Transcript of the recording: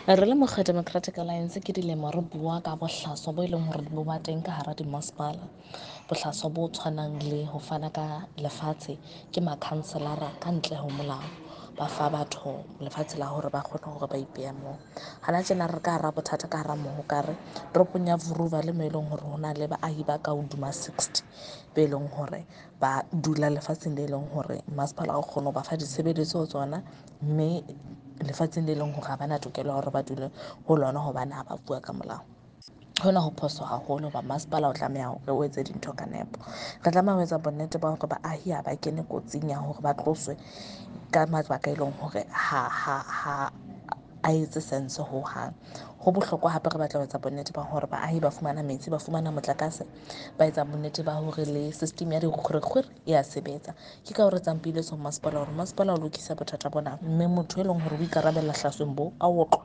Re le mokga Democratic Alliance ke dilemo re bua ka bohlaswa bo e leng hore bo ba teng ka hara dimasepala. Bohlaswa bo tshwanang le ho fana ka lefatshe ke makhanselara ka ntle ho molao. Ba fa batho lefatshe la hore ba kgone hore ba ipeya moo. Hana tjena re ka hara bothata ka hara Mohokare toropong ya Vuruva le mo e leng hore ho na le baahi ba ka hodima 60 be leng hore ba dula lefatsheng le leng hore masepala o kgone ho ba fa ditshebeletso tsona, mme lefatsheng le leng hore ha bana tokelo ya hore ba dule ho lona hobane ha ba fuwa ka molao. Hona ho phoso haholo hoba masepala o tlameha hore o etse dintho ka nepo. Re tlameha ho etsa bonnete ba hore baahi ha ba kene kotsing ya hore ba tloswe ka mabaka e leng hore ha a etse sense hohang. Ho bohlokwa hape re batla ho etsa bonnete ba hore baahi ba fumana metsi, ba fumana motlakase, ba etsa bonnete ba hore le system ya dikgwerekgwere e ya sebetsa. Ke ka hoo re etsang peeletso ho masepala hore masepala o lokise bothata bona, mme motho e leng hore o ikarabella hlasweng bo a otlwe.